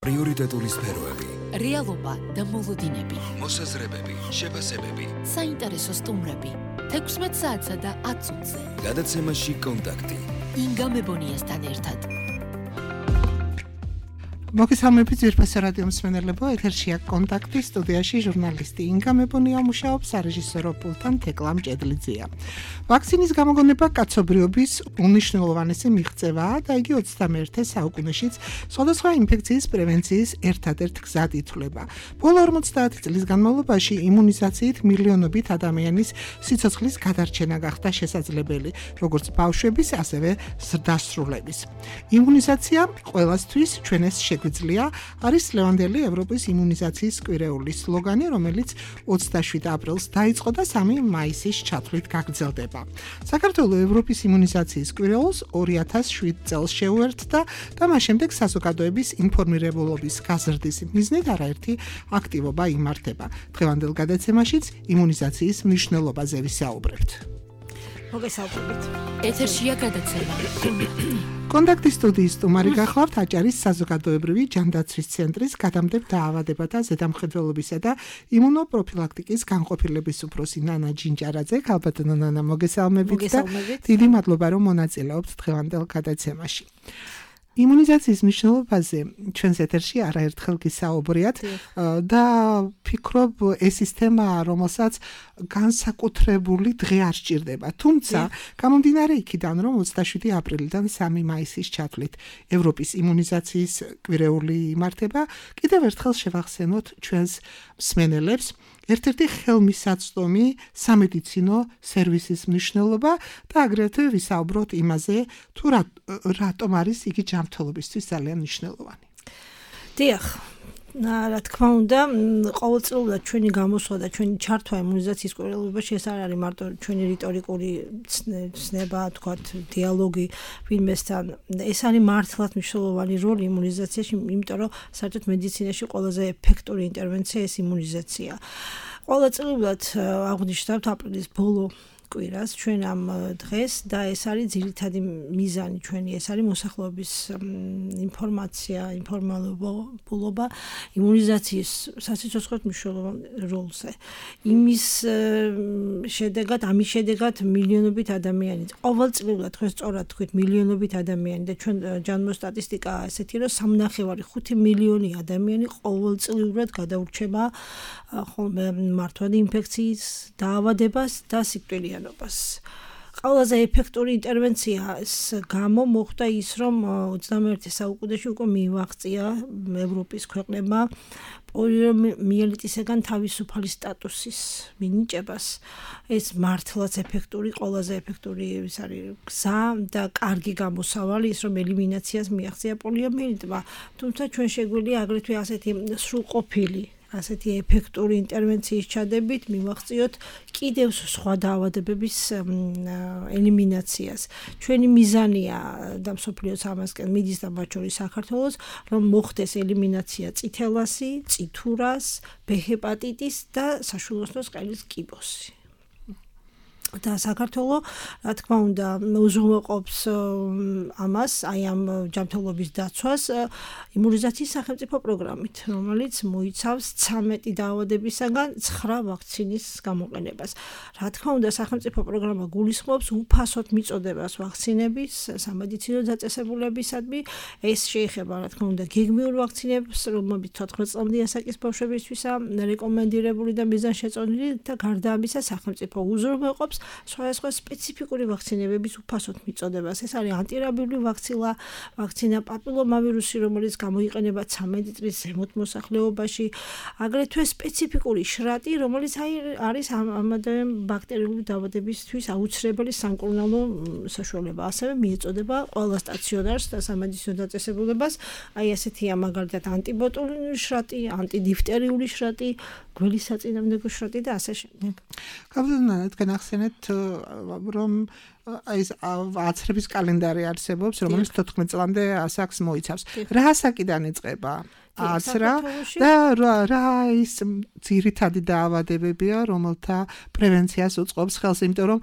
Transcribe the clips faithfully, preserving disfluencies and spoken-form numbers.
პრიორიტეტული სფეროები, რეალობა და მოლოდინები, მოსაზრებები, შეფასებები, საინტერესო სტუმრები, თექვსმეტ საათსა და ათ წუთზე. გადაცემაში კონტაქტი. ინგა მებონიასთან ერთად. მოგესალმებით ძვირფასო რადიო მსმენელებო, ეთერშია კონტაქტი, სტუდიაში ჟურნალისტი ინგა მებონია მუშაობს, სარეჟისორო პულტთან თეკლა მჭედლიძეა. ვაქცინის გამოგონება კაცობრიობის უნიშნულოვანესი მიღწევაა და იგი ოცდამეერთე საუკუნეშიც სხვადასხვა ინფექციის პრევენციის ერთადერთ გზად ითვლება. ბოლო ორმოცდაათი წლის განმავლობაში იმუნიზაციით მილიონობით ადამიანის სიცოცხლის გადარჩენა გახდა შესაძლებელი, როგორც ბავშვების, ასევე ზრდასრულების. იმუნიზაცია ყველასთვის ჩვენეს შეგვიძლია არის ლევანდელი ევროპის იმუნიზაციის კვირეული სლოგანი, რომელიც ოცდაშვიდ აპრილს დაიწყო და სამი მაისის ჩათვლით გაგრძელდება. საქართველოს ევროპის იმუნიზაციის კვირეულს ორი ათას შვიდ წელს შეუერთდა და მას შემდეგ საზოგადოების ინფორმირებულობის გაზრდის მიზნით არაერთი აქტივობა იმართება. დღევანდელ გადაცემაშიც იმუნიზაციის მნიშვნელობაზე ვისაუბრებთ. მოგესალმებით. ეთერშია გადაცემა. კონტაქტის სტუდიის სტუმარი გახლავთ აჭარის საზოგადოებრივი ჯანდაცვის ცენტრის გადამდებთ დაავადებათა ზედამხედველობისა და იმუნოპროფილაქტიკის განყოფილების უფროსი ნანა ჯინჯარაძე. ქალბატონო ნანა, მოგესალმებით და დიდი მადლობა, რომ მონაწილეობთ დღევანდელ გადაცემაში. იმუნიზაციის მნიშვნელობაზე ჩვენს ეთერში არაერთხელ გისაუბრიათ და ფიქრობ ეს ის თემაა, რომელსაც განსაკუთრებული დღე არ სჭირდება. თუმცა, გამომდინარე იქიდან, რომ ოცდაშვიდი აპრილიდან სამი მაისის ჩათვლით ევროპის იმუნიზაციის კვირეული იმართება, კიდევ ერთხელ შევახსენოთ ჩვენს მსმენელებს ერთ-ერთი ხელმისაწვდომი სამედიცინო სერვისის მნიშვნელობა და აგრეთვე ვისაუბროთ იმაზე, თუ რატომ არის იგი ჯანმრთელობისთვის ძალიან მნიშვნელოვანი. დიახ, რა თქმა უნდა, ყოველწლიურად ჩვენი გამოსვლა და ჩვენი ჩართვა იმუნიზაციის კვირეულობაში ეს არ არის მარტო ჩვენი რიტორიკული ცნება, თქვათ, დიალოგი ვინმესთან. ეს არის მართლაც მნიშვნელოვანი როლი იმუნიზაციაში, იმიტომ რომ საერთოდ მედიცინაში ყველაზე ეფექტური ინტერვენცია ეს იმუნიზაცია. ყოველწლიურად აღვნიშნავთ აპრილის ბოლო კვირას ჩვენ ამ დღეს და ეს არის ძირითადი მიზანი ჩვენი, ეს არის მოსახლეობის ინფორმაცია, ინფორმალობა იმუნიზაციის სასიცოცხლოდ მნიშვნელოვან როლზე. იმის შედეგად, ამის შედეგად მილიონობით ადამიანი, ყოველწლიურად თქვენ სწორად თქვით, მილიონობით ადამიანი და ჩვენ ჯანმო სტატისტიკაა ესეთი, რომ სამნახევარი ხუთი მილიონი ადამიანი ყოველწლიურად გადაურჩება ხოლმე მართვადი ინფექციის დაავადებას და სიკვდილიან. ყველაზე ეფექტური ინტერვენციას გამო მოხდა ის, რომ ოცდამეერთე საუკუნეში უკვე მიიღწია ევროპის ქვეყნებმა პოლიომიელიტისგან თავისუფალი სტატუსის მინიჭებას. ეს მართლაც ეფექტური, ყველაზე ეფექტური ის არის გზა და კარგი გამოსავალი ის, რომ ელიმინაციას მიაღწია პოლიომიელიტმა. თუმცა ჩვენ შეგვიძლია აგრეთვე ასეთი სრულყოფილი ასეთი ეფექტური ინტერვენციის ჩადებით მივახციოთ კიდევ სხვა დაავადებების ელიმინაციას. ჩვენი მიზანია და მსოფლიოს ამასკენ მიდის და მათ შორის საქართველოს, რომ მოხდეს ელიმინაცია წითელასი, წითურას, ბ ჰეპატიტის და საშვილოსნოს ყელის კიბოსი. და საქართველოს, რა თქმა უნდა, უზრუნველყოფს ამას, აი ამ ჯანმრთელობის დაცვას იმუნიზაციის სახელმწიფო პროგრამით, რომელიც მოიცავს ცამეტი დაავადებისაგან ცხრა ვაქცინის გამოყენებას. რა თქმა უნდა, სახელმწიფო პროგრამა გულისხმობს უფასოდ მიწოდებას ვაქცინების სამედიცინო დაწესებულებისადმი. ეს შეეხება, რა თქმა უნდა, გეგმიურ ვაქცინებს, რომელთაც თოთხმეტ წლამდე ასაკის ბავშვებისთვისა რეკომენდირებული და მიზანშეწონილი და გარდა ამისა სახელმწიფო უზრუნველყოფს სხვადასხვა სპეციფიკური ვაქცინებების უფასოდ მიწოდებას. ეს არის ანტირაბიული ვაქცინა, ვაქცინა პაპილომავირუსი, რომელიც გამოიყენება ცამეტი წლის ზემოთ მოსახლეობაში, აგრეთვე სპეციფიკური შრატი, რომელიც არის ამადავე ბაქტერიული დაავადებისთვის აუცილებელი სამკურნალო საშუალება. ასევე მიეწოდება ყველა სტაციონარს და სამედიცინო დაწესებულებას. აი ასეთია მაგალითად ანტიბოტულინური შრატი, ანტიდიფტერიული შრატი, გველის საწინააღმდეგო შრატი და ასე შემდეგ. კაბლონა თქვენ ახსენეთ რომ ეს აცრების კალენდარი არსებობს, რომელიც თოთხმეტ წლამდე ასაკს მოიცავს. რა ასაკიდან იწყება აცრა და რა ის ძირითადი დაავადებებია, რომელთა პრევენციას უწყობს ხელს, იმიტომ რომ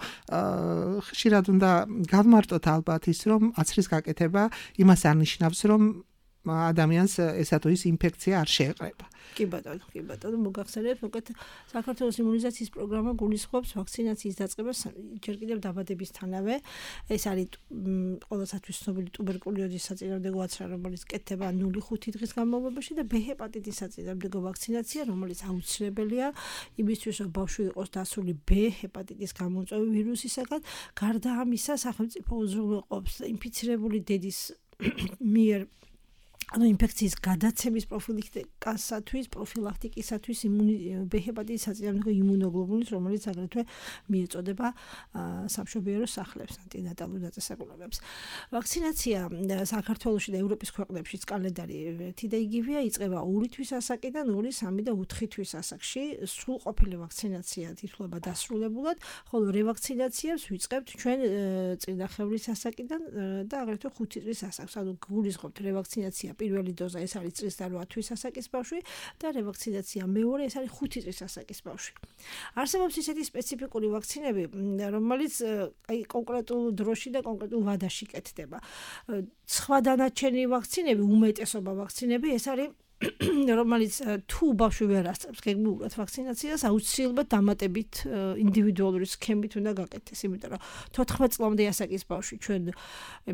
ხშირად უნდა გავმარტოთ ალბათ ის, რომ აცრის გაკეთება იმას არ ნიშნავს, რომ ადამიანს ესა თუ ის ინფექცია არ შეეყრება. კი ბატონო, კი ბატონო, მოგახსენებთ, უკეთ საქართველოს იმუნიზაციის პროგრამა გულისხმობს ვაქცინაციის დაწყებას ჯერ კიდევ დაბადებისთანავე. ეს არის ყოველსათვის ცნობილი ტუბერკულოზის საწინააღმდეგო აცრა, რომელიც კეთდება ნული ხუთი დღის განმავლობაში და ბ ჰეპატიტის საწინააღმდეგო ვაქცინაცია, რომელიც აუცილებელია იმისთვის, რომ ბავშვი იყოს დასული ბ ჰეპატიტის გამომწვევი ვირუსისაგან. გარდა ამისა, სახელმწიფო უზრუნველყოფს ინფიცირებული დედის მიერ ანუ ინფექციის გადაცემის პროფილაქტიკასათვის, პროფილაქტიკისათვის ბ ჰეპატიტის საწინააღმდეგო იმუნოგლობულის, რომელიც აგრეთვე მიეწოდება სამშობიარო სახლებს, ანტინატალურ დაწესებულებებს. ვაქცინაცია საქართველოში და ევროპის ქვეყნებშიც კალენდარი ერთი და იგივეა, იწყება ორი თვის ასაკიდან ორი, სამი და ოთხი თვის ასაკში. სრულყოფილი ვაქცინაცია თითქოს დასრულებულად, ხოლო რევაქცინაციას ვიწყებთ ჩვენ წინახევრის ასაკიდან და აგრეთვე ხუთი წლის ასაკს. ანუ გულისხმობთ რევაქცინაცია პირველი დოზა ეს არის წლის და რვა თვის ასაკის ბავშვი და რევაქცინაცია მეორე ეს არის ხუთი წლის ასაკის ბავშვი. არსებობს ისეთი სპეციფიკური ვაქცინები, რომელიც აი კონკრეტულ დროში და კონკრეტულ ვადაში კეთდება. სხვა დანარჩენი ვაქცინები, უმეტესობა ვაქცინები ეს არის რომელიც თუ ბავშვი ვერ ასწრებს გეგმიურად ვაქცინაციას, აუცილებლად დამატებით ინდივიდუალური სქემით უნდა გაკეთდეს, იმიტომ რომ თოთხმეტ წლამდე ასაკის ბავშვი ჩვენ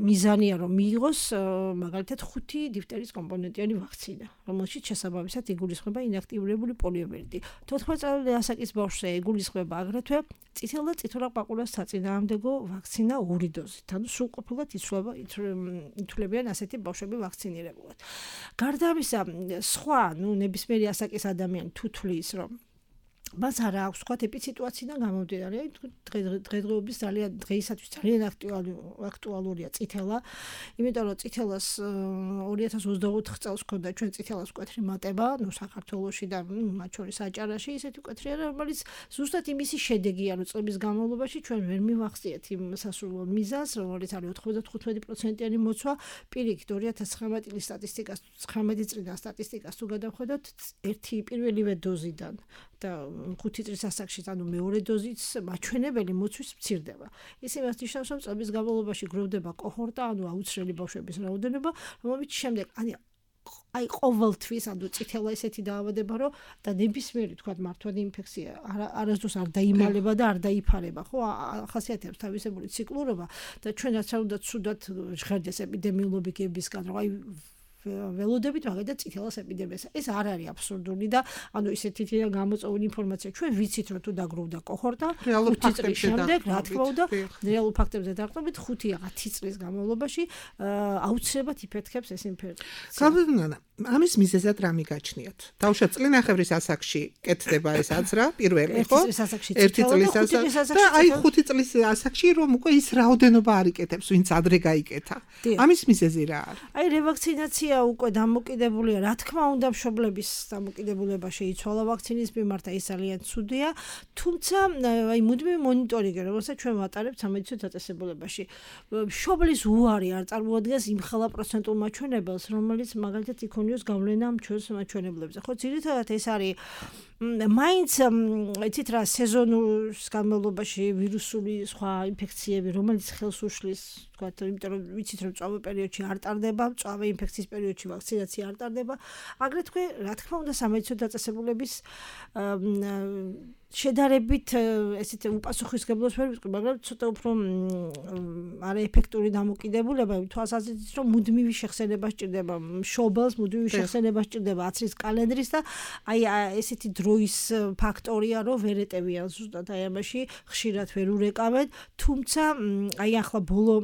მიზანია რომ მიიღოს მაგალითად ხუთი დიფტერის კომპონენტიანი ვაქცინა, რომელშიც შესაბამისად იგულისხმება ინაქტიურებული პოლიომიელიტი. თოთხმეტ წლამდე ასაკის ბავშვზე იგულისხმება აგრეთვე წითელ და წითელ-ყბაყურას საწინააღმდეგო ვაქცინა ორი დოზით. ანუ სრულყოფილად იცვლება ითვლებიან ასეთი ბავშვები ვაქცინირებულად. გარდა ამისა სხვა, ნუ ნებისმიერი ასაკის ადამიანი თუ თვლის, რომ მას არ აქვს სხვა ტიპი სიტუაციიდან გამომდინარე, დღესდღეობის ძალიან დღეისათვის ძალიან აქტუალურია წითელა, იმიტომ რომ წითელას ორი ათას ოცდაოთხ წელს ჰქონდა ჩვენ წითელას მკვეთრი მატება, ნუ საქართველოში და მათ შორის აჭარაში ისეთი მკვეთრი არა, რომელიც ზუსტად იმისი შედეგია, რომ წლების განმავლობაში ჩვენ ვერ მივახციეთ იმ სასურველ მიზანს, რომელიც არის ოცდათხუთმეტი პროცენტიანი მოცვა, პირიქით ორი ათას ცხრამეტი წლის სტატისტიკას, ცხრამეტი წლიდან სტატისტიკას თუ გადავხედოთ, ერთი პირველივე დოზიდან და ხუთი წლის ასაკში, ანუ მეორე დოზის მაჩვენებელი მოცვის მცირდება. ის იმას ნიშნავს, რომ წლების განმავლობაში გროვდება კოჰორტა, ანუ აუცილებელი ბავშვების რაოდენობა, რომელიც შემდეგ ani აი ყოველთვის ანუ წითელა ესეთი დაავადება, რომ და ნებისმიერი თქვა მართვადი ინფექცია არასდროს არ დაიმალება და არ დაიფარება, ხო? ახასიათებს თავისებური ციკლურობა და ჩვენაც არ უნდა ცუდად ჟღერდეს ეპიდემიოლოგებისგან, რომ აი ველოდებით მაგალითად წითელას ეპიდემიას. ეს არ არის აბსურდული და ანუ ისეთი გამოწვეული ინფორმაცია ჩვენ ვიცით, რომ თუ დაგროვდა კოჰორტა ხუთი წლის შემდეგ, რა თქმა უნდა, რეალურ ფაქტებზე დაყრდნობით ხუთი ათი წლის განმავლობაში აუცილებლად იფეთქებს ეს ინფექცია. გაბზნანა, ამის მიზეზად რა მიგაჩნიათ? თავშა წლინახევრის ასაკში კეთდება ეს აზრა, პირველი ხო? ერთი წლის ასაკში და აი ხუთი წლის ასაკში რომ უკვე ის რაოდენობა არ იკეთებს, ვინც ადრე გაიკეთა. ამის მიზეზი რა არის? აი რევაქცინაცია უკვე დამოკიდებულია, რა თქმა უნდა, მშობლების დამოკიდებულება შეიცვალა ვაქცინის მიმართ, ეს ძალიან ცუდია, თუმცა აი მუდმივი მონიტორინგი, რომელსაც ჩვენ ვატარებთ სამედიცინო დაწესებულებაში, მშობლის უარი არ წარმოადგენს იმ ხელა პროცენტულ მაჩვენებელს, რომელიც მაგალითად იქონიოს გავლენა ჩვენს მაჩვენებლებზე. ხო, ძირითადად ეს არის მაინც იცით რა სეზონურ განმავლობაში ვირუსული სხვა ინფექციები, რომელიც ხელს უშლის, თქვათ, იმიტომ რომ ვიცით რომ წვავე პერიოდში არ ტარდება, წვავე ინფექციის პერიოდში ვაქცინაცია არ ტარდება. აგრეთვე, რა თქმა უნდა, სამედიცინო დაწესებულების შედარებით ესეთ უპასუხისმგებლობას ვერ ვიტყვი, მაგრამ ცოტა უფრო არაეფექტური დამოკიდებულება, თვალსაზრისით რომ მუდმივი შეხსენება სჭირდება, მშობელს მუდმივი შეხსენება სჭირდება აცრის კალენდრის და აი ესეთი დროის ფაქტორია, რომ ვერ ეტევიან ზუსტად აი ამაში, ხშირად ვერ ურეკავენ, თუმცა აი ახლა ბოლო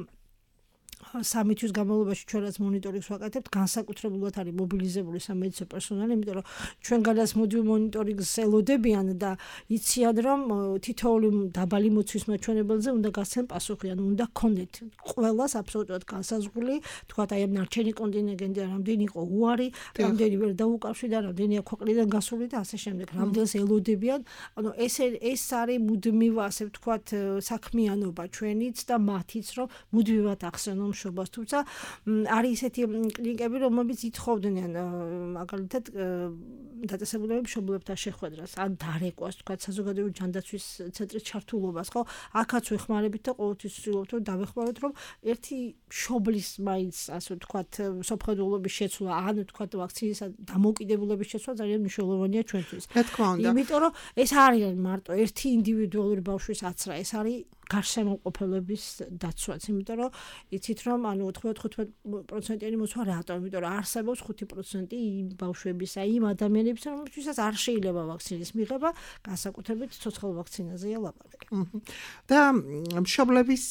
სამი თვის განმავლობაში ჩვენ რაც მონიტორინგს ვაკეთებთ, განსაკუთრებულად არის მობილიზებული სამედიცინო პერსონალი, იმიტომ რომ ჩვენ გადას მოდივ მონიტორინგს ელოდებიან და იციან რომ თითოეული დაბალი მოცვის მაჩვენებელზე უნდა გასცენ პასუხი, ანუ უნდა გქონდეთ ყველას აბსოლუტურად განსაზღვრული, თქვათ აი ამ ნარჩენი კონტინგენტი რამდენი იყო უარი, რამდენი ვერ დაუკავშირდა, რამდენია ქვეყნიდან გასული და ასე შემდეგ, რამდენს ელოდებიან, ანუ ეს ეს არის მუდმივ ასე ვთქვათ საქმიანობა ჩვენიც და მათიც, რომ მუდმივად ახსენონ მშობას, თუმცა არის ისეთი კლინიკები, რომლებიც ითხოვდნენ მაგალითად დაწესებულებები მშობლებთან შეხვედრას, ან დარეკვას, თქვა საზოგადოებრივი ჯანდაცვის ცენტრის ჩართულობას, ხო? აქაც ვეხმარებით და ყოველთვის ვცდილობთ რომ დავეხმაროთ, რომ ერთი მშობლის მაინც, ასე ვთქვათ, სოფხედულობის შეცვლა, ან ვთქვათ, ვაქცინის დამოუკიდებლობის შეცვლა ძალიან მნიშვნელოვანია ჩვენთვის. რა თქმა უნდა. იმიტომ რომ ეს არის მარტო ერთი ინდივიდუალური ბავშვის აცრა, ეს არის გარშემოყოფილების დაცვაც, იმიტომ რომ იცით რომ ანუ ოცდათხუთმეტ პროცენტიანი მოსვლა რატო? იმიტომ რომ არსებობს ხუთი პროცენტი იმ ბავშვებისა, იმ ადამიანებისა, რომლებსაც არ შეიძლება ვაქცინის მიღება, განსაკუთრებით ცოცხალ ვაქცინაზეა ლაპარაკი. და მშობლების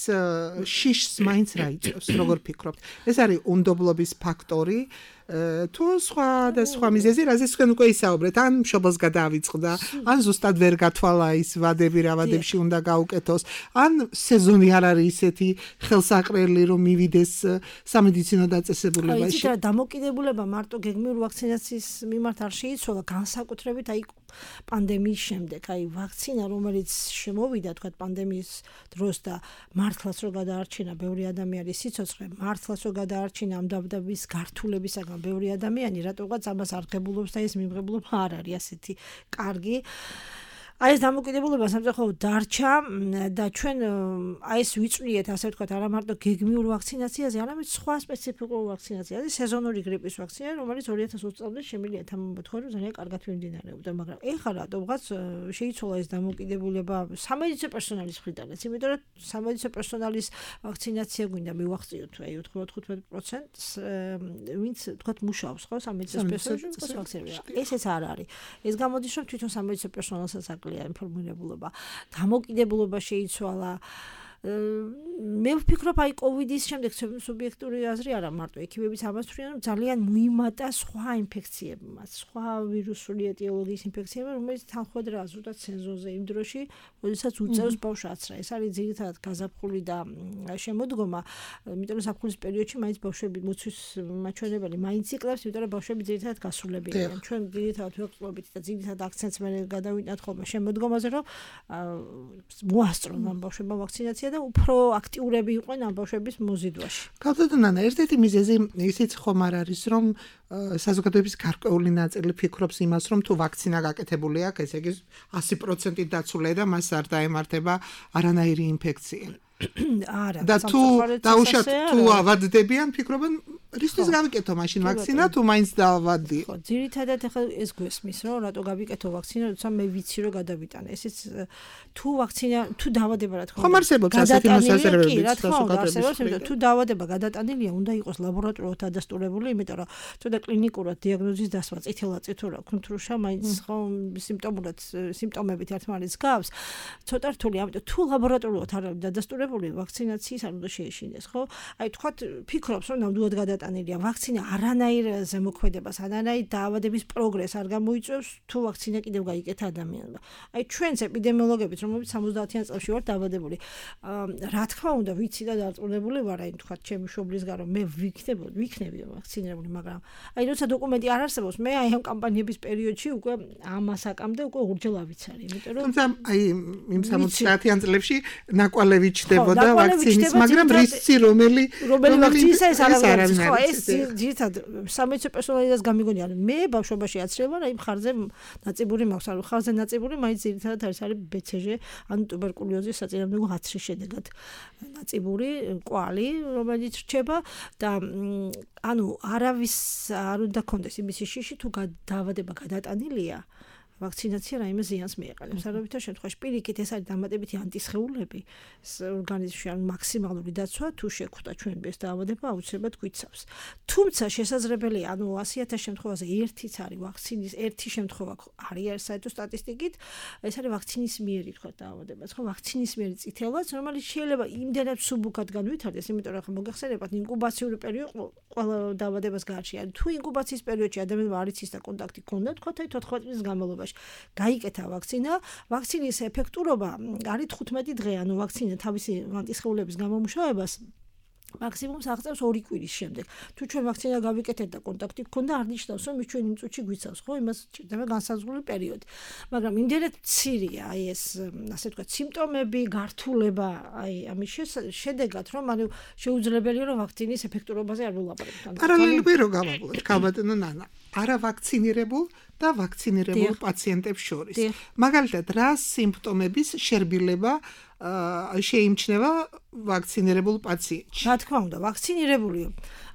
შიშს მაინც რა იწევს, როგორ ფიქრობთ? ეს არის უნდობლობის ფაქტორი, თუ სხვა და სხვა მიზეზი, რაზეც თქვენ უკვე ისაუბრეთ, ან მშობელს გადაავიწყდა, ან ზუსტად ვერ გათვალა ის ვადები, რა ვადებში უნდა გაუკეთოს, ან სეზონი არ არის ისეთი ხელსაყრელი, რომ მივიდეს სამედიცინო დაწესებულებაში. იცით რა, დამოკიდებულება მარტო გეგმიური ვაქცინაციის მიმართ არ შეიცვალა, განსაკუთრებით აი პანდემიის შემდეგ, აი ვაქცინა, რომელიც შემოვიდა, თქვა პანდემიის დროს და მართლაც რო გადაარჩინა ბევრი ადამიანის სიცოცხლე, მართლაც რო გადაარჩინა ამ დაბდაბის გართულებისაგან ბევრი ადამიანი, რატოღაც ამას არ ღებულობს და ეს მიმღებლობა არ არის ასეთი კარგი. აი ეს დამოკიდებულება სამწუხაროდ დარჩა და ჩვენ აი ეს ვიწვიეთ, ასე ვთქვათ, არა მარტო გეგმიურ ვაქცინაციაზე, არამედ სხვა სპეციფიკურ ვაქცინაციაზე, სეზონური გრიპის ვაქცინა, რომელიც ორი ათას ოცი წლამდე შემიძლია თამამბოთხოვრო ძალიან კარგად მიმდინარეობდა, მაგრამ ეხლა რატომღაც შეიცვალა ეს დამოკიდებულება სამედიცინო პერსონალის მხრიდანაც, იმიტომ რომ სამედიცინო პერსონალის ვაქცინაცია გვინდა მივახციოთ აი ოცდათხუთმეტ პროცენტს, ვინც თქვათ მუშაობს, ხო, სამედიცინო პერსონალის ვაქცინაცია. ესეც არ არის. ეს გამოდის, რომ თვითონ სამედიცინო პერსონალსაც ინფორმირებულობა, დამოკიდებულება შეიცვალა. მე ვფიქრობ, აი კოვიდის შემდეგ სუბიექტური აზრი არა მარტო ექიმებიც ამას თვლიან, რომ ძალიან მოიმატა სხვა ინფექციებმაც, სხვა ვირუსული ეტიოლოგიის ინფექციებმა, რომელიც თანხმდაა ზუსტად სეზონზე იმ დროში, როდესაც უწევს ბავშვს აცრა. ეს არის ძირითადად გაზაფხული და შემოდგომა, იმიტომ რომ ზაფხულის პერიოდში მაინც ბავშვები მოცვის მაჩვენებელი მაინც იკლებს, იმიტომ რომ ბავშვები ძირითადად გასულებელია. ჩვენ ძირითადად ვეყრდნობით და ძირითადად აქცენტს მე გადავიტანთ ხოლმე შემოდგომაზე, რომ მოასწრონ ამ ბავშვებმა ვაქცინაცია და უფრო აქტიურები იყვნენ ამ ბავშვების მოზიდვაში. გავდადო ნანა, ერთ-ერთი მიზეზი ისიც ხომ არ არის, რომ საზოგადოების გარკვეული ნაწილი ფიქრობს იმას, რომ თუ ვაქცინა გაკეთებული აქვს, ესე იგი ასი პროცენტი დაცულია და მას არ დაემართება არანაირი ინფექცია. არა, და თუ დაუშვათ თუ ავადდებიან, ფიქრობენ რისთვის გავიკეთო მაშინ ვაქცინა, თუ მაინც დავადი. ხო, ძირითადად ახლა ეს გვესმის, რომ რატო გავიკეთო ვაქცინა, როცა მე ვიცი რომ გადავიტანე. ესეც თუ ვაქცინა, თუ დავადება რა თქმა უნდა. ხომ არსებობს ასეთი მოსაზრებები საზოგადოების. თუ დავადება გადატანილია, უნდა იყოს ლაბორატორიულად ადასტურებული, იმიტომ რომ ცოტა კლინიკურად დიაგნოზის დასვა, წითელა წითურა, კუნთრუშა, მაინც ხომ სიმპტომურად სიმპტომებით ერთმანეთს გავს. ცოტა რთული, ამიტომ თუ ლაბორატორიულად არ არის დადასტურებული, ვაქცინაციის არ უნდა შეეშინდეს, ხო? აი თქვათ, ფიქრობს, რომ ნამდვილად გადატანილია ვაქცინა არანაირ ზემოქმედებას, არანაირ დაავადების პროგრესს არ გამოიწვევს, თუ ვაქცინა კიდევ გაიკეთა ადამიანმა. აი ჩვენც ეპიდემიოლოგებიც, რომლებიც სამოცდაათიან წლებში ვართ დაავადებული, რა თქმა უნდა, ვიცი და დარწმუნებული ვარ, აი თქვათ, ჩემი მშობლისგან რომ მე ვიქნებოდ, ვიქნები ვაქცინირებული, მაგრამ აი როცა დოკუმენტი არ არსებობს, მე აი ამ კამპანიების პერიოდში უკვე ამასაკამდე უკვე ურჯელ ავიცარი, იმიტომ რომ თუმცა აი იმ სამოცდაათიან წლებში ნაკვალევი ჩდებოდა ვაქცინის, მაგრამ რისკი რომელი რომელი ვაქცინისა ეს არის, ხო, ეს ძირითადად სამედიცინო პერსონალიდანაც გამიგონია, მე ბავშვობაში აცრევა, აი მხარზე ნაწიბური მაქვს, ანუ მხარზე ნაწიბური მაინც ძირითადად არის არის ბე ცე ჟე, ანუ ტუბერკულოზის საწინააღმდეგო აცრის შედეგად ნაწიბური კვალი, რომელიც რჩება და ანუ არავის არ უნდა კონდეს იმისი შიში, თუ დაავადება გადატანილია, ვაქცინაცია რაიმე ზიანს მიეყენებს. არავითარ შემთხვევაში პირიქით ეს არის დამატებითი ანტისხეულები ორგანიზმში, ანუ მაქსიმალური დაცვა, თუ შეხვდა ჩვენ ეს დაავადება, აუცილებლად გვიცავს. თუმცა შესაძლებელია, ანუ ასი ათას შემთხვევაზე ერთიც არის ვაქცინის, ერთი შემთხვევა არის საერთო სტატისტიკით, ეს არის ვაქცინის მიერი თქვა დაავადებაც, ხო, ვაქცინის მიერი წითელვაც, რომელიც შეიძლება იმდენად სუბუქად განვითარდეს, იმიტომ რომ ახლა მოგეხსენებათ ინკუბაციური პერიოდი ყველა დაავადებას გააჩნია. თუ ინკუბაციის პერიოდში ადამიანმა არ იცის და კონტაქტი ჰქონდა, თქვა აი თოთხმეტ წლის განმავლობაში გაიკეთა ვაქცინა, ვაქცინის ეფექტურობა არის თხუთმეტი დღე, ანუ ვაქცინა თავისი ანტისხეულების გამომუშავებას მაქსიმუმს აღწევს ორი კვირის შემდეგ. თუ ჩვენ ვაქცინა გავიკეთეთ და კონტაქტი გქონდა, არ ნიშნავს, რომ ის ჩვენ იმ წუთში გვიცავს, ხო? იმას ჭირდება განსაზღვრული პერიოდი. მაგრამ იმდენად მცირეა აი ეს, ასე ვთქვათ, სიმპტომები, გართულება, აი ამის შედეგად, რომ ანუ შეუძლებელია, რომ ვაქცინის ეფექტურობაზე არ ვილაპარაკოთ. პარალელურად რო გავაბლოთ, ქალბატონო ნანა, არა ვაქცინირებულ და ვაქცინირებულ პაციენტებს შორის. მაგალითად, რა სიმპტომების შერბილება შეიმჩნევა ვაქცინირებულ პაციენტში? რა თქმა უნდა, ვაქცინირებული.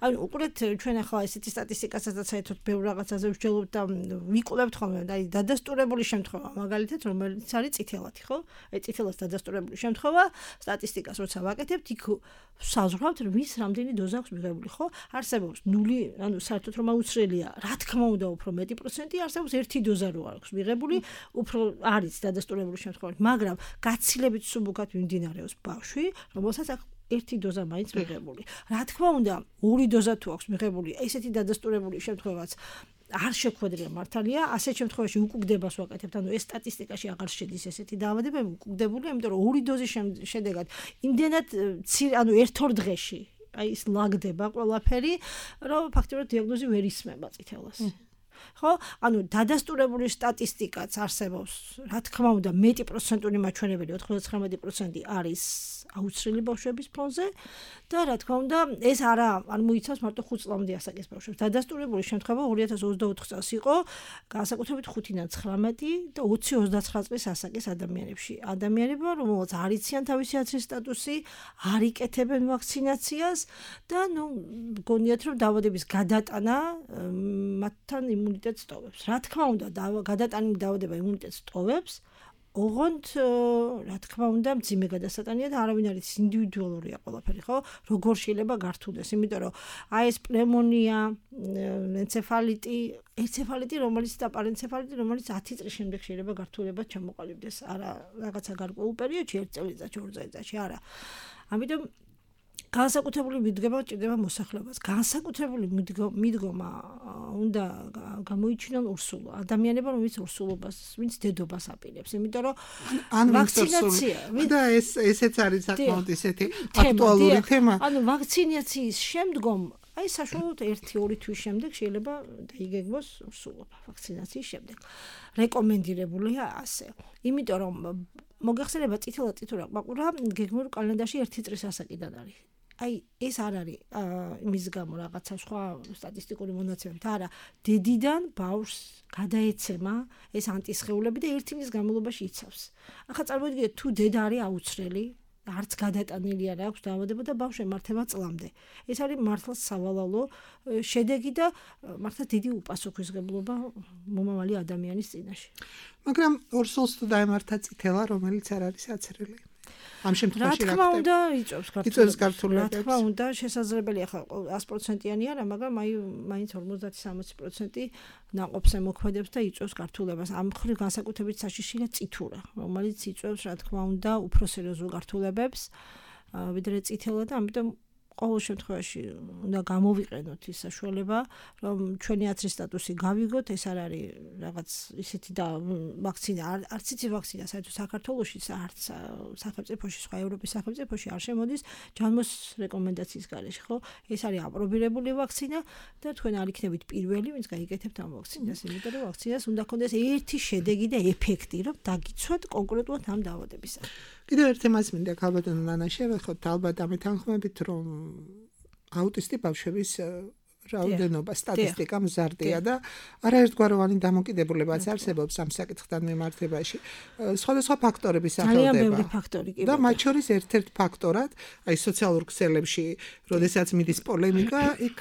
ანუ უყურეთ ჩვენ ახლა ესეთი სტატისტიკასაც საერთოდ ბევრ რაღაცაზე ვსჯელობთ და ვიკულებთ ხოლმე, აი დადასტურებული შემთხვევა, მაგალითად, რომელიც არის წითელათი, ხო? აი წითელას დადასტურებული შემთხვევა, სტატისტიკას როცა ვაკეთებთ, იქ საზღვრავთ, ვის რამდენი დოზა აქვს მიღებული, ხო? არსებობს ნული, ანუ საერთოდ რომ აუცილებლია, რა თქმა უნდა, უფრო მეტი პროცენტი არსებობს ერთი დოზა რო აქვს მიღებული, უფრო არის დადასტურებული შემთხვევა, მაგრამ გაცილებით სუბუქად მიმდინარეობს ბავშვი, რომელსაც აქვს ერთი დოზა მაინც მიღებული. რა თქმა უნდა, ორი დოზა თუ აქვს მიღებული, ესეთი დადასტურებული შემთხვევაც არ შეხვედრია მართალია, ასეთ შემთხვევაში უკუგდებას ვაკეთებთ, ანუ ეს სტატისტიკაში აღარ შედის ესეთი დაავადებები, უკუგდებული, იმიტომ რომ ორი დოზის შედეგად იმდენად ანუ ერთ-ორ დღეში აი ის ლაგდება ყველაფერი, რომ ფაქტობრივად დიაგნოზი ვერ ისმება წითელას. ხო? ანუ დადასტურებული სტატისტიკაც არსებობს, რა თქმა უნდა, მეტი პროცენტული მაჩვენებელი ოცდათხმეტი პროცენტი არის აუცილებელი ბავშვების ფონზე და რა თქმა უნდა, ეს არა არ მოიცავს მარტო ხუთ წლამდე ასაკის ბავშვებს. დადასტურებული შემთხვევა ორი ათას ოცდაოთხ წელს იყო, განსაკუთრებით ხუთიდან ცხრამეტი და ოცი ოცდაცხრა წლის ასაკის ადამიანებში. ადამიანებმა, რომელსაც არ იციან თავისი აცრის სტატუსი, არ იკეთებენ ვაქცინაციას და ნუ გონიათ რომ დაავადების გადატანა მათთან იმუნიტეტს ტოვებს. რა თქმა უნდა, გადატანილი დაავადება იმუნიტეტს ტოვებს. ოღონდ რა თქმა უნდა მძიმე გადასატანია და არავინ არ იცის ინდივიდუალურია ყველაფერი, ხო? როგორ შეიძლება გართულდეს, იმიტომ რომ აი ეს პნევმონია, ენცეფალიტი, ენცეფალიტი, რომელიც და პარენცეფალიტი, რომელიც ათი წლის შემდეგ შეიძლება გართულებად ჩამოყალიბდეს, არა რაღაცა გარკვეულ პერიოდში, ერთ წელიწადში, ორ წელიწადში, არა. ამიტომ განსაკუთრებული მიდგომა ჭირდება მოსახლეობას. განსაკუთრებული მიდგომა უნდა გამოიჩინონ ურსულო ადამიანებმა, ვინც ურსულობას, ვინც დედობას აპირებს, იმიტომ რომ ვაქცინაცია და ეს ესეც არის საკმაოდ ისეთი აქტუალური თემა. ანუ ვაქცინაციის შემდგომ აი საშუალოდ ერთი ორი თვის შემდეგ შეიძლება დაიგეგმოს ურსულობა ვაქცინაციის შემდეგ. რეკომენდირებულია ასე. იმიტომ რომ მოგახსენება წითელა წითურა ყმაყურა გეგმურ კალენდარში ერთი წრის ასაკიდან არის. აი ეს არ არის იმის გამო რაღაცა სხვა სტატისტიკური მონაცემებით, არა, დედიდან ბავშვს გადაეცემა ეს ანტისხეულები და ერთი წლის განმავლობაში იცავს. ახლა წარმოიდგინეთ, თუ დედა არის აუცრელი, არც გადატანილი არ აქვს დაავადება და ბავშვი მართება წლამდე. ეს არის მართლა სავალალო შედეგი და მართლა დიდი უპასუხისმგებლობა მომავალი ადამიანის წინაშე. მაგრამ ორსულს თუ დაემართა წითელა, რომელიც არ არის აცრელი. ამ შემთხვევაში რა თქმა უნდა იწვევს გართულებებს. რა თქმა უნდა შესაძლებელია ხა ას პროცენტიანი არა, მაგრამ აი მაინც ორმოცდაათი სამოცი პროცენტი ნაყოფს ემოქმედებს და იწვევს გართულებას. ამ მხრივ განსაკუთრებით საშიშია წითურა, რომელიც იწვევს რა თქმა უნდა უფრო სერიოზულ გართულებებს ვიდრე წითელა და ამიტომ ყოველ შემთხვევაში უნდა გამოვიყენოთ ის საშუალება, რომ ჩვენი აცრის სტატუსი გავიგოთ, ეს არ არის რაღაც ისეთი და ვაქცინა, არც იცი ვაქცინა, საერთოდ საქართველოში, არც სახელმწიფოში, სხვა ევროპის სახელმწიფოში არ შემოდის ჯანმოს რეკომენდაციის გარეშე, ხო? ეს არის აპრობირებული ვაქცინა და თქვენ არ იქნებით პირველი, ვინც გაიგეთებთ ამ ვაქცინას, იმიტომ რომ ვაქცინას უნდა ქონდეს ერთი შედეგი და ეფექტი, რომ დაგიცვათ კონკრეტულად ამ დაავადებისგან. კიდევ ერთ თემას მინდა ქალბატონო ნანა შევეხოთ, ალბათ ამეთანხმებით, რომ აუტისტი ბავშვების რაოდენობა სტატისტიკა მზარდია და არაერთგვაროვანი დამოკიდებულებაც არსებობს ამ საკითხთან მიმართებაში. სხვადასხვა ფაქტორები სახელდება. ძალიან ბევრი ფაქტორი კი. და მათ შორის ერთ-ერთ ფაქტორად, აი სოციალურ ქსელებში, როდესაც მიდის პოლემიკა, იქ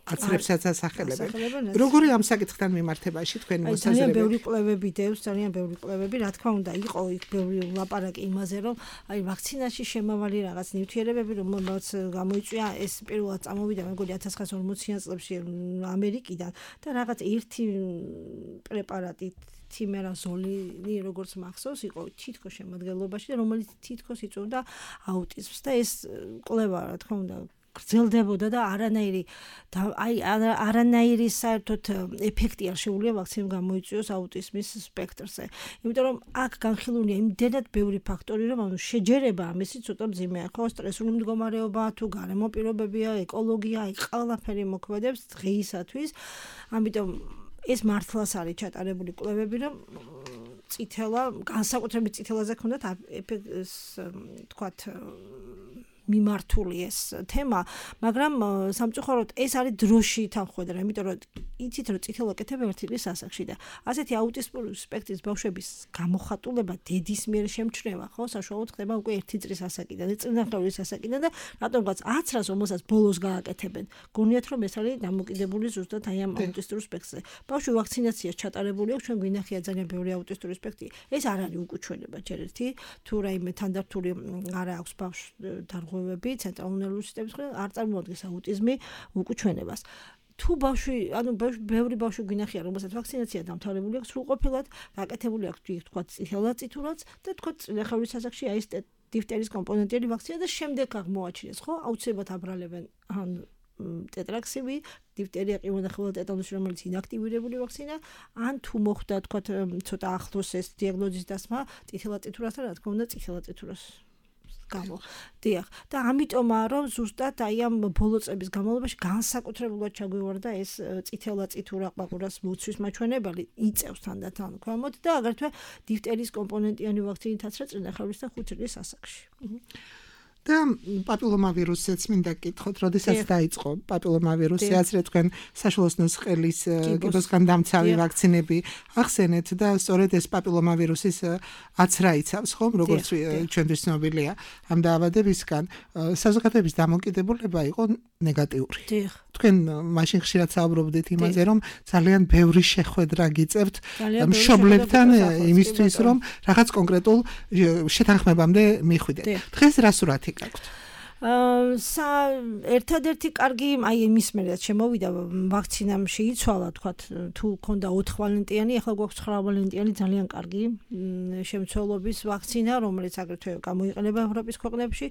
აცრებსაც ასახელებენ. როგორი ამ საკითხთან მიმართებაში თქვენი მოსაზრება? ძალიან ბევრი კვლევები დევს, ძალიან ბევრი კვლევები, რა თქმა უნდა, იყო იქ ბევრი ლაპარაკი იმაზე, რომ აი ვაქცინაში შემავალი რაღაც ნივთიერებები, რომელსაც გამოიწვია, ეს პირველად წამოვიდა, მეგონი ათას ცხრაასი ორმოციან წლებში ამერიკიდან და რაღაც ერთი პრეპარატი თიმერაზოლი, როგორც მახსოვს, იყო თითქოს შემადგენლობაში და რომელიც თითქოს იწვევდა აუტიზმს და ეს კვლევა, რა თქმა უნდა, გრძელდებოდა და არანაირი აი არანაირი საერთოდ ეფექტი არ შეუძლია ვაქცინამ გამოიწვიოს აუტიზმის სპექტრზე. იმიტომ რომ აქ განხილულია იმდენად ბევრი ფაქტორი, რომ ანუ შეჯერება ამისი ცოტა მძიმეა. ხო, სტრესული მდგომარეობა, თუ გარემო პირობებია, ეკოლოგია, აი ყველაფერი მოქმედებს დღეისათვის. ამიტომ ეს მართლაც არის ჩატარებული კვლევები, რომ წითელა, განსაკუთრებით წითელაზე ქონდათ ეს თქვათ მიმართული ეს თემა, მაგრამ სამწუხაროდ ეს არის დროში თანხმდება, იმიტომ რომ იცით რომ წითელ აკეთებ ერთი დღის ასაკში და ასეთი აუტიზმური სპექტრის ბავშვების გამოხატულება დედის მიერ შემჩნევა, ხო, საშუალოდ ხდება უკვე ერთი წლის ასაკიდან, წინახევრის ასაკიდან და რატომღაც აცრას რომელსაც ბოლოს გააკეთებენ. გონიათ რომ ეს არის დამოკიდებული ზუსტად აი ამ აუტისტურ სპექტრზე. ბავშვი ვაქცინაციას ჩატარებული აქვს, ჩვენ გვინახია ძალიან ბევრი აუტისტური სპექტრი. ეს არ არის უკუჩვენება ჯერ ერთი, თუ რაიმე თანდართული არა აქვს ბავშვს დარღვევები ცენტრალური ნერვული სისტემის მხრიდან, არ წარმოადგენს აუტიზმი უკუჩვენებას. თუ ბავშვი, ანუ ბევრი ბავშვი გვინახია, რომელსაც ვაქცინაცია დამთავრებული აქვს სრულყოფილად, გაკეთებული აქვს თქვა წითელაწითურაც და თქვა წინახევრის ასაკში აი ეს დიფტერის კომპონენტიანი ვაქცინა და შემდეგ აღმოაჩინეს, ხო? აუცილებლად აბრალებენ ან ტეტრაქსივი, დიფტერია, ყივანახევრად ტეტანუსი, რომელიც ინაქტივირებული ვაქცინა, ან თუ მოხდა თქვა ცოტა ახლოს ეს დიაგნოზის დასმა წითელაწითურასთან, რა თქმა უნდა, წითელაწითურას გამო. დიახ. და ამიტომაა რომ ზუსტად აი ამ ბოლო წლების განმავლობაში განსაკუთრებულად ჩაგვივარდა ეს წითელაწითურა ყვაყურას მოცვის მაჩვენებელი იწევს თანდათან ქვემოთ და აგრეთვე დიფტერის კომპონენტიანი ვაქცინითაც რა წინახევრის და ხუთი წლის ასაკში. და პაპილომავირუსიც მინდა გითხოთ, როდესაც დაიწყო პაპილომავირუსი, ასე თქვენ საშუალოსნოს ყელის კიბოსგან დამცავი ვაქცინები ახსენეთ და სწორედ ეს პაპილომავირუსის აცრა იცავს, ხომ, როგორც ჩვენთვის ცნობილია ამ დაავადებისგან, საზოგადოების დამოკიდებულება იყო ნეგატიური. თქვენ მაშინ ხშირად საუბრობდით იმაზე, რომ ძალიან ბევრი შეხვედრა გიწევთ მშობლებთან იმისთვის, რომ რაღაც კონკრეტულ შეთანხმებამდე მიხვიდეთ. დღეს რა სურათი გაქვთ? სა ერთადერთი კარგი აი იმის მერე შემოვიდა ვაქცინამ შეიცვალა თქვა თუ ქონდა ოთხ ვალენტიანი, ახლა გვაქვს ცხრა ვალენტიანი ძალიან კარგი შემცველობის ვაქცინა, რომელიც აგრეთვე გამოიყენება ევროპის ქვეყნებში.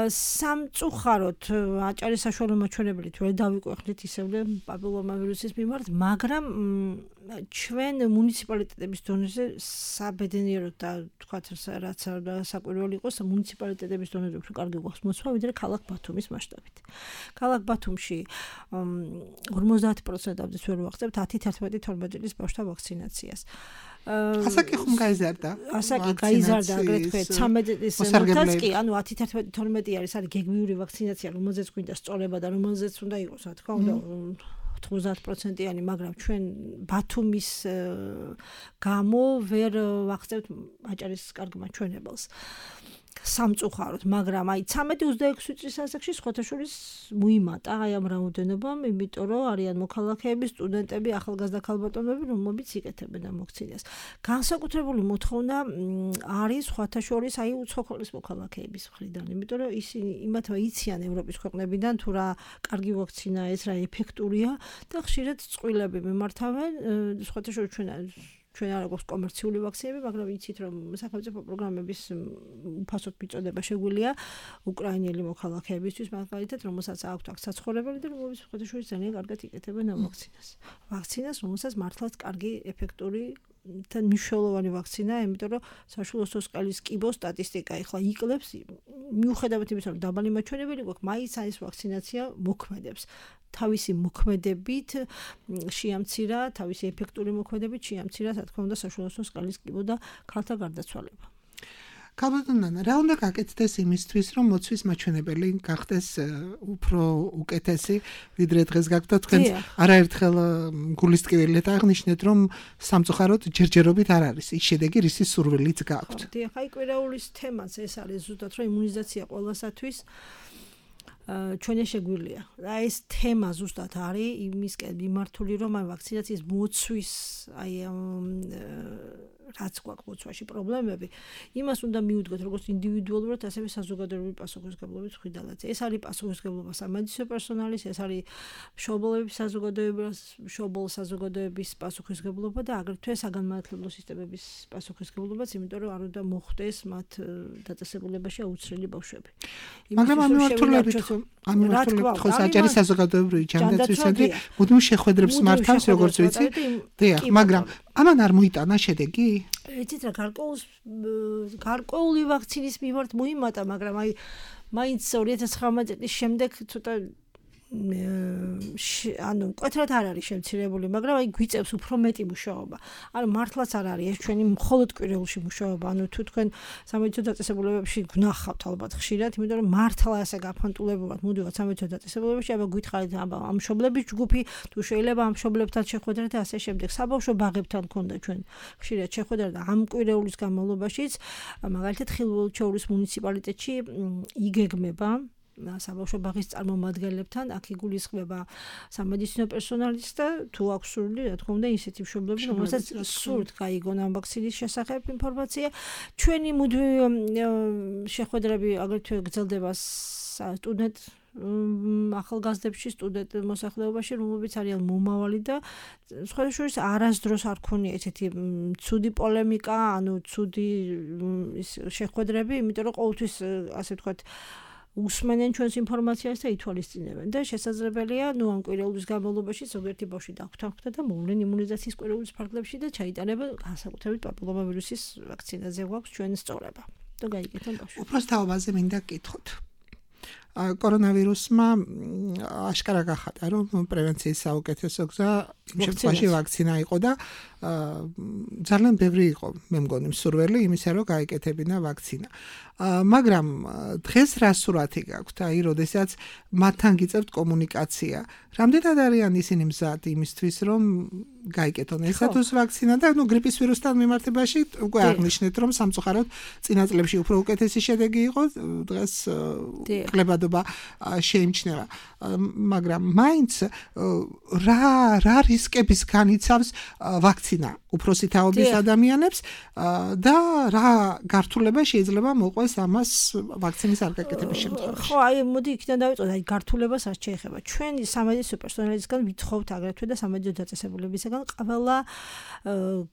სამწუხაროდ აჭარის საშუალო მაჩვენებლით ვერ დავიკვეხნით ისევე პაპილომავირუსის მიმართ, მაგრამ ჩვენ მუნიციპალიტეტების დონეზე საბედნიეროდ და თქვა რაც საკვირველი იყოს, მუნიციპალიტეტების დონეზე უფრო კარგი გვაქვს მოცვა, ვიდრე ქალაქ ბათუმის მასშტაბით. ქალაქ ბათუმში ორმოცდაათი პროცენტამდე ვერ ვახცევთ ათი, თერთმეტი, თორმეტი წლის ბავშვთა ვაქცინაციას. ასაკი ხომ გაიზარდა? ასაკი გაიზარდა აგრეთვე ცამეტი წლის მომთაც კი, ანუ ათი, თერთმეტი, თორმეტი არის არის გეგმიური ვაქცინაცია, რომელზეც გვინდა სწორება და რომელზეც უნდა იყოს, რა თქმა უნდა, ოცდაათ პროცენტიანი, მაგრამ ჩვენ ბათუმის გამო ვერ ვახცევთ აჭარის კარგ მაჩვენებელს. სამწუხაროდ, მაგრამ აი ცამეტი ოცდაექვსი წლის ასაკში სხვათაშორის მოიმატა აი ამ რაოდენობამ, იმიტომ რომ არიან მოქალაქეები, სტუდენტები, ახალგაზრდა ქალბატონები, რომლებიც იკეთებენ ამ ვაქცინას. განსაკუთრებული მოთხოვნა არის სხვათაშორის აი უცხოეთის მოქალაქეების მხრიდან, იმიტომ რომ ისინი იმათმა იციან ევროპის ქვეყნებიდან თუ რა კარგი ვაქცინა ეს, რა ეფექტურია და ხშირად წყვილები მიმართავენ სხვათაშორის ჩვენ ჩვენ არ აქვს კომერციული ვაქცინები, მაგრამ იცით რომ სახელმწიფო პროგრამების უფასოდ მიწოდება შეგვიძლია უკრაინელი მოქალაქეებისთვის, მაგალითად, რომელსაც აქვთ აქ საცხოვრებელი და რომლებიც სხვადასხვა ძალიან კარგად იკეთებენ ამ ვაქცინას. ვაქცინას, რომელსაც მართლაც კარგი ეფექტური და მნიშვნელოვანი ვაქცინა, იმიტომ რომ საშუალო სკალის კიბო სტატისტიკა ეხლა იკლებს, მიუხედავად იმისა, რომ დაბალი მაჩვენებელი გვაქვს, მაინც ეს ვაქცინაცია მოქმედებს. თავისი მოქმედებით შეამცირა, თავისი ეფექტური მოქმედებით შეამცირა, რა თქმა უნდა, საშუალო სკალის კიბო და ქალთა გარდაცვალება. ქალბატონო, რა უნდა გაკეთდეს იმისთვის, რომ მოცვის მაჩვენებელი გახდეს უფრო უკეთესი, ვიდრე დღეს გაქვთ და თქვენ არაერთხელ გულისტკივილეთ აღნიშნეთ, რომ სამწუხაროდ ჯერჯერობით არ არის ის შედეგი, რისი სურვილიც გაქვთ. დიახ, აი კვირაულის თემაც ეს არის ზუსტად, რომ იმუნიზაცია ყველასათვის ჩვენი შეგვიძლია. და ეს თემა ზუსტად არის იმისკენ მიმართული, რომ აი ვაქცინაციის მოცვის აი რაც გვაქვს მოცვაში პრობლემები, იმას უნდა მიუდგოთ როგორც ინდივიდუალურად, ასევე საზოგადოებრივი პასუხისმგებლობის მხრიდანაც. ეს არის პასუხისმგებლობა სამედიცინო პერსონალის, ეს არის მშობლების საზოგადოების, მშობლ საზოგადოების პასუხისმგებლობა და აგრეთვე საგანმანათლებლო სისტემების პასუხისმგებლობაც, იმიტომ რომ არ უნდა მოხდეს მათ დაწესებულებაში აუცილებელი ბავშვები. მაგრამ ამ მიმართულებით ამ მიმართულებით ხო საჯარის საზოგადოებრივი ჯანდაცვის ცენტრი მუდმივ შეხვედრებს მართავს, როგორც ვიცი. დიახ, მაგრამ ამან არ მოიტანა შედეგი? იცით რა, გარკვეულ გარკვეული ვაქცინის მიმართ მოიმატა, მაგრამ აი მაინც ორი ათას ცხრამეტი წლის შემდეგ ცოტა ანუ მკვეთრად არ არის შემცირებული, მაგრამ აი გვიწევს უფრო მეტი მუშაობა. ანუ მართლაც არ არის ეს ჩვენი მხოლოდ კვირეულში მუშაობა. ანუ თუ თქვენ სამედიცინო დაწესებულებებში გნახავთ ალბათ ხშირად, იმიტომ რომ მართლა ასე გაფანტულებულად მოდივართ სამედიცინო დაწესებულებებში, აბა გითხარით აბა ამ მშობლების ჯგუფი, თუ შეიძლება ამ მშობლებთან შეხვედრა და ასე შემდეგ. საბავშვო ბაღებთან ქონდა ჩვენ ხშირად შეხვედრა და ამ კვირეულის განმავლობაშიც მაგალითად ხილველჩოვრის მუნიციპალიტეტში იგეგმება საბავშვო ბაღის წარმომადგენლებთან აქ იგულისხმება სამედიცინო პერსონალის და თუ აქვს სურვილი, რა თქმა უნდა, ისეთი მშობლები, რომელსაც სურთ გაიგონ ამ ვაქცინის შესახებ ინფორმაცია. ჩვენი მუდმივი შეხვედრები აგრეთვე გრძელდება სტუდენტ ახალგაზრდებში, სტუდენტ მოსახლეობაში, რომლებიც არიან მომავალი და სხვა შორის არასდროს არ ქონია ესეთი ცუდი პოლემიკა, ანუ ცუდი შეხვედრები, იმიტომ რომ ყოველთვის ასე ვთქვათ უსმენენ ჩვენს ინფორმაციას და ითვალისწინებენ და შესაძლებელია ნუ ამ კვირეულის განმავლობაში ზოგიერთი ბავშვი დაგვთანხმდა და მოვლენ იმუნიზაციის კვირეულის ფარგლებში და ჩაიტარება განსაკუთრებით პაპილომავირუსის ვაქცინაზე გვაქვს ჩვენ სწორება და გაიგეთ ამ ბავშვს. უბრალოდ თაობაზე მინდა გკითხოთ. კორონავირუსმა აშკარა გახადა, რომ პრევენციის საუკეთესო გზა იმ შემთხვევაში ვაქცინა იყო და ძალიან ბევრი იყო, მე მგონი, მსურველი იმისა, რომ გაიკეთებინა ვაქცინა. მაგრამ დღეს რა სურათი გაქვთ, აი, როდესაც მათთან გიწევთ კომუნიკაცია, რამდენად არიან ისინი მზად იმისთვის, რომ გაიკეთონ ესათუს ვაქცინა და ნუ გრიპის ვირუსთან მიმართებაში უკვე აღნიშნეთ, რომ სამწუხაროდ წინა წლებში უფრო უკეთესი შედეგი იყო, დღეს კლებადობა შეიმჩნევა. მაგრამ მაინც რა რა რისკების განიცავს ვაქცინა უფროსი თაობის ადამიანებს და რა გართულება შეიძლება მოყვეს ამას ვაქცინის არ გაკეთების შემთხვევაში. ხო, აი მოდი იქიდან დავიწყოთ, აი გართულებას არ შეეხება. ჩვენი სამედიცინო პერსონალისგან ვითხოვთ აგრეთვე და სამედიცინო დაწესებულებისგან ყველა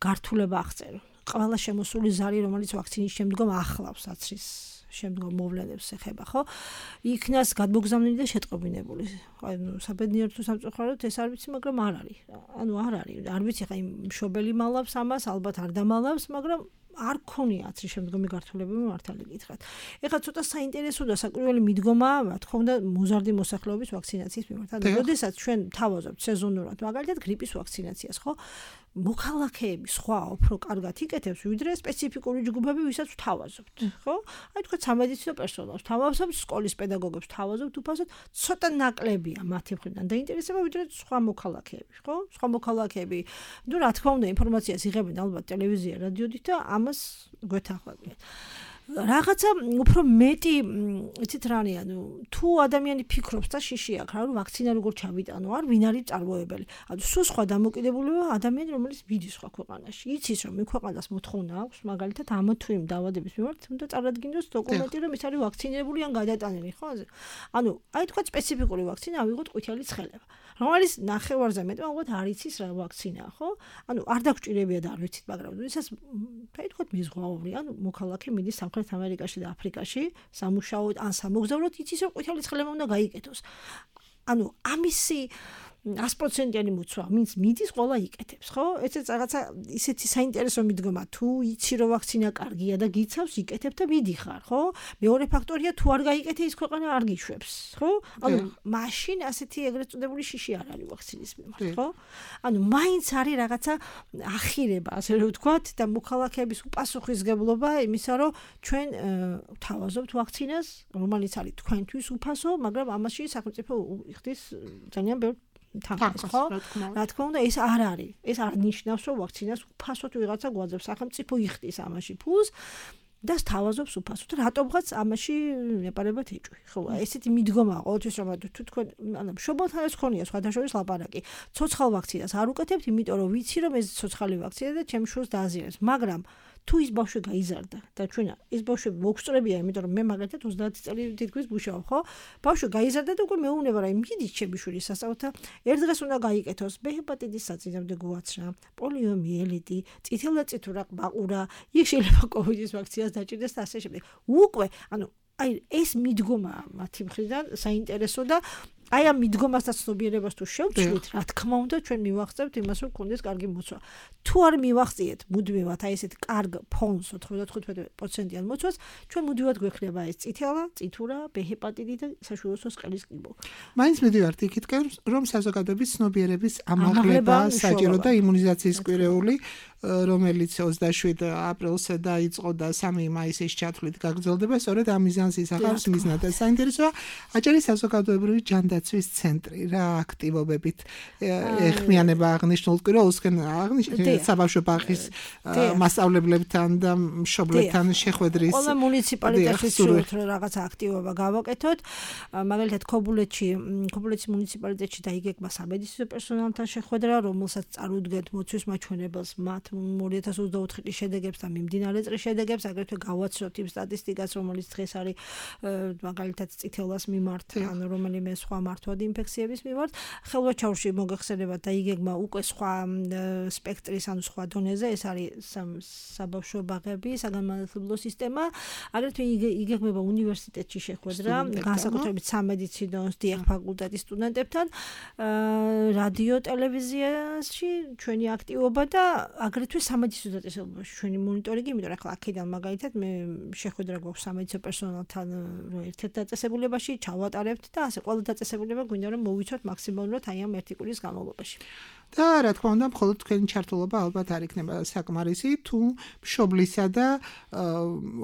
გართულება აღწერო. ყველა შემოსული ზარი, რომელიც ვაქცინის შემდგომ ახლავს აცრის შემდგომ მოვლენებს ეხება, ხო? იქნას გადმოგზავნილი და შეტყობინებული. ანუ საბედნიეროდ თუ სამწუხაროდ ეს არ ვიცი, მაგრამ არ არის. ანუ არ არის. არ ვიცი ხა იმ მშობელი მალავს ამას, ალბათ არ დამალავს, მაგრამ არ ქონია აცრის შემდგომი გართულებები მართალი გითხრათ. ეხლა ცოტა საინტერესო და საკურველი მიდგომაა, რა თქმა უნდა, მოზარდი მოსახლეობის ვაქცინაციის მიმართ. ანუ როდესაც ჩვენ თავაზობთ სეზონურად, მაგალითად გრიპის ვაქცინაციას, ხო? მოქალაქეები სხვა უფრო კარგად იკეთებს, ვიდრე სპეციფიკური ჯგუფები, ვისაც ვთავაზობთ, ხო? აი თქვა სამედიცინო პერსონალს ვთავაზობთ, სკოლის პედაგოგებს ვთავაზობთ, უფასოდ ცოტა ნაკლებია მათი მხრიდან დაინტერესება, ვიდრე სხვა მოქალაქეები, ხო? სხვა მოქალაქეები, ნუ რა თქმა უნდა, ინფორმაციას იღებენ ალბათ ტელევიზია, რადიოდით და ამას გვეთანხმებიან. რაღაცა უფრო მეტი, იცით რა არის, ანუ თუ ადამიანი ფიქრობს და შიში აქვს, რა ვაქცინა როგორ ჩავიტანო, არ ვინ არის წარმოებელი. ანუ სულ სხვა დამოკიდებულება ადამიანი, რომელიც მიდის სხვა ქვეყანაში. იცის რომ იმ ქვეყანას მოთხოვნა აქვს, მაგალითად ამ თუ იმ დაავადების მიმართ, უნდა წარადგინოს დოკუმენტი, რომ ის არის ვაქცინირებული ან გადატანილი, ხო? ანუ აი თქვა სპეციფიკური ვაქცინა ავიღოთ ყვითელი ცხელება. რომელიც ნახევარზე მეტი მაგათ არ იცის რა ვაქცინაა, ხო? ანუ არ დაგჭირებია და არ ვიცით, მაგრამ ისეს აი თქვა მიზღვაური, ანუ მოქალაქე მიდის სამხრეთ ამერიკაში და აფრიკაში სამუშაოდ ან სამოგზაუროდ, იცის რომ ყვითელი ცხელება უნდა გაიკეთოს. ანუ ამისი ას პროცენტიანი მოცვა, ვინც მიდის, ყველა იკეთებს, ხო? ესეც რაღაცა ისეთი საინტერესო მიდგომა, თუ იცი რომ ვაქცინა კარგია და გიცავს, იკეთებ და მიდიხარ, ხო? მეორე ფაქტორია, თუ არ გაიკეთე ის ქვეყანა არ გიშვებს, ხო? ანუ მაშინ ასეთი ეგრეთ წოდებული შიში არ არის ვაქცინის მიმართ, ხო? ანუ მაინც არის რაღაცა ახირება, ასე რომ ვთქვათ, და მოქალაქეების უპასუხისმგებლობა იმისა, რომ ჩვენ ვთავაზობთ ვაქცინას, რომელიც არის თქვენთვის უფასო, მაგრამ ამაში სახელმწიფო იხდის ძალიან ბევრ თანხას, ხო? რა თქმა უნდა, ეს არ არის. ეს არ ნიშნავს, რომ ვაქცინას უფასოდ ვიღაცა გვაძლევს. სახელმწიფო იხდის ამაში ფულს და სთავაზობს უფასოდ. რატომღაც ამაში ეპარებათ ეჭვი. ხო, ესეთი მიდგომაა ყოველთვის, რომ თუ თქვენ, ანუ მშობელთან ეს ქონია სხვადასხვა ლაპარაკი. ცოცხალ ვაქცინას არ უკეთებთ, იმიტომ რომ ვიცი, რომ ეს ცოცხალი ვაქცინა და ჩემს შვილს დააზიანებს. მაგრამ თუ ის ბავშვი გაიზარდა და ჩვენ ის ბავშვები მოგწრებია, იმიტომ რომ მე მაგალითად ოცდაათი წელი თითქმის ბუშავ, ხო? ბავშვი გაიზარდა და უკვე მეუბნება რა, მიდის ჩემი შვილი სასწავლო, ერთ დღეს უნდა გაიკეთოს ბ ჰეპატიტის საწინააღმდეგო გვაცრა, პოლიომიელიტი, წითელდაწითურა ყბაყურა, იქ შეიძლება კოვიდის ვაქცინას დაჭირდეს და ასე შემდეგ. უკვე, ანუ აი ეს მიდგომა მათი მხრიდან საინტერესო და აი ამ მიდგომასთან ცნობიერებას თუ შევცვლით, რა თქმა უნდა, ჩვენ მივახცევთ იმას, რომ გქონდეს კარგი მოცვა. თუ არ მივახციეთ მუდმივად აი ესეთ კარგ ფონს ოცდათხუთმეტ პროცენტიან მოცვას, ჩვენ მუდმივად გვექნება ეს წითელა, წითურა, ბ ჰეპატიტი და საშუალო სყელის კიბო. მაინც მივიდივართ იქითკენ, რომ საზოგადოების ცნობიერების ამაღლება საჭირო და იმუნიზაციის კვირეული, რომელიც ოცდაშვიდ აპრილს დაიწყო და სამი მაისის ჩათვლით გაგრძელდება, სწორედ ამ მიზანს ისახავს მიზნად. საინტერესოა აჭარის საზოგადოებრივი ჯანდაცვის ცენტრი რა აქტივობებით ეხმიანება აღნიშნულ კვირაულსკენ აღნიშნულ საბავშვო ბაღის მასწავლებლებთან და მშობლებთან შეხვედრის ყველა მუნიციპალიტეტში შევთ რომ რაღაც აქტივობა გავაკეთოთ. მაგალითად ქობულეთში ქობულეთის მუნიციპალიტეტში დაიგეგმა სამედიცინო პერსონალთან შეხვედრა, რომელსაც წარუდგენთ მოცვის მაჩვენებელს მათ ორი ათას ოცდაოთხი წლის შედეგებს და მიმდინარე წლის შედეგებს, აგრეთვე გავაცნოთ იმ სტატისტიკას, რომელიც დღეს არის მაგალითად წითელას მიმართ, ანუ რომელიმე სხვა მართვად ინფექციების მიმართ. ხელვაჩაურში მოგეხსენებათ დაიგეგმა უკვე სხვა სპექტრის, ანუ სხვა დონეზე, ეს არის საბავშვო ბაღები, საგანმანათლებლო სისტემა, აგრეთვე იგეგმება უნივერსიტეტში შეხვედრა, განსაკუთრებით სამედიცინო დიახ ფაკულტეტის სტუდენტებთან, რადიო ტელევიზიაში ჩვენი აქტივობა და აგრეთვე სამედიცინო დაწესებულებაში ჩვენი მონიტორინგი, იმიტომ რომ ახლა აქედან მაგალითად მე შეხვედრა გვაქვს სამედიცინო პერსონალთან ერთ-ერთ დაწესებულებაში, ჩავატარებთ და ასე ყველა დაწესებულება გვინდა რომ მოვიცოთ მაქსიმალურად აი ამ ერთი კვირის განმავლობაში. და რა თქმა უნდა, მხოლოდ თქვენი ჩართულობა ალბათ არ იქნება საკმარისი, თუ მშობლისა და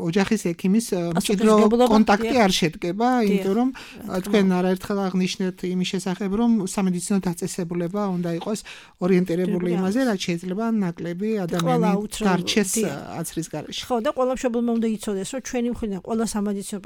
ოჯახის ექიმის მჭიდრო კონტაქტი არ შედგება, იმიტომ რომ თქვენ არაერთხელ აღნიშნეთ იმის შესახებ, რომ სამედიცინო დაწესებულება უნდა იყოს ორიენტირებული იმაზე, რაც შეიძლება ნაკლები ადამიანი დარჩეს აცრის გარეშე. ხო, და ყველა მშობელმა უნდა იცოდეს, რომ ჩვენი მხრიდან ყველა სამედიცინო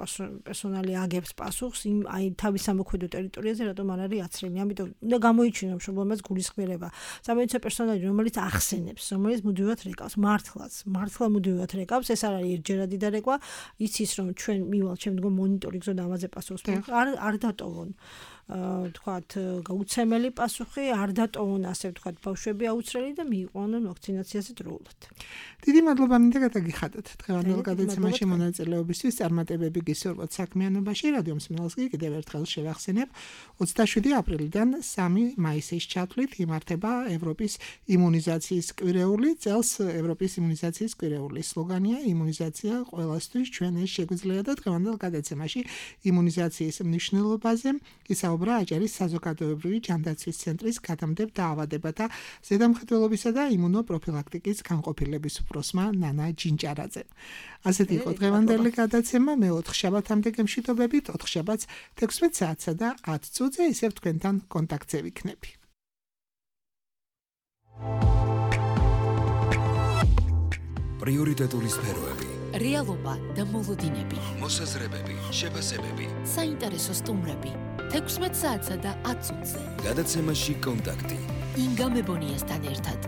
პერსონალი აგებს პასუხს იმ აი თავის სამოქმედო ტერიტორიაზე, რატომ არ არის აცრელი. ამიტომ უნდა გამოიჩინოს მშობლებს გულისხმიერება. სამედიცინო პერსონალი, რომელიც ახსენებს, რომელიც მუდმივად რეკავს, მართლაც, მართლა მუდმივად რეკავს, ეს არ არის ერთჯერადი დარეკვა, იცის რომ ჩვენ მივალ შემდგომ მონიტორინგზე და ამაზე პასუხს არ არ დატოვონ. თქვათ გაუცემელი პასუხი, არ დატოვონ ასე ვთქვათ ბავშვები აუცრელი და მიიყვანონ ვაქცინაციაზე დროულად. დიდი მადლობა მინდა გადაგიხადოთ დღევანდელ გადაცემაში მონაწილეობისთვის. წარმატებები გისურვოთ საქმიანობაში. რადიო მსმენელს კი კიდევ ერთხელ შევახსენებ, ოცდაშვიდი აპრილიდან სამი მაისის ჩათვლით იმართება ევროპის იმუნიზაციის კვირეული. წელს ევროპის იმუნიზაციის კვირეული სლოგანია იმუნიზაცია ყველასთვის, ჩვენ ეს შეგვიძლია და დღევანდელ გადაცემაში იმუნიზაციის მნიშვნელობაზე ისაუბრა აჭარის საზოგადოებრივი ჯანდაცვის ცენტრის გადამდებთ დაავადებათა ზედამხედველობისა და იმუნოპროფილაქტიკის განყოფილების უფროსმა ნანა ჯინჭარაძე. ასეთი იყო დღევანდელი გადაცემა. მე ოთხშაბათამდე გემშვიდობებით, ოთხშაბათს თექვსმეტ საათსა და ათ წუთზე ისევ თქვენთან კონტაქტზე ვიქნები. პრიორიტეტული სფეროები, რეალობა და მოლოდინები, მოსაზრებები, შეფასებები, საინტერესო სტუმრები, თექვსმეტ საათსა და ათ წუთზე. გადაცემაში კონტაქტი. ინგა მებონიასთან ერთად.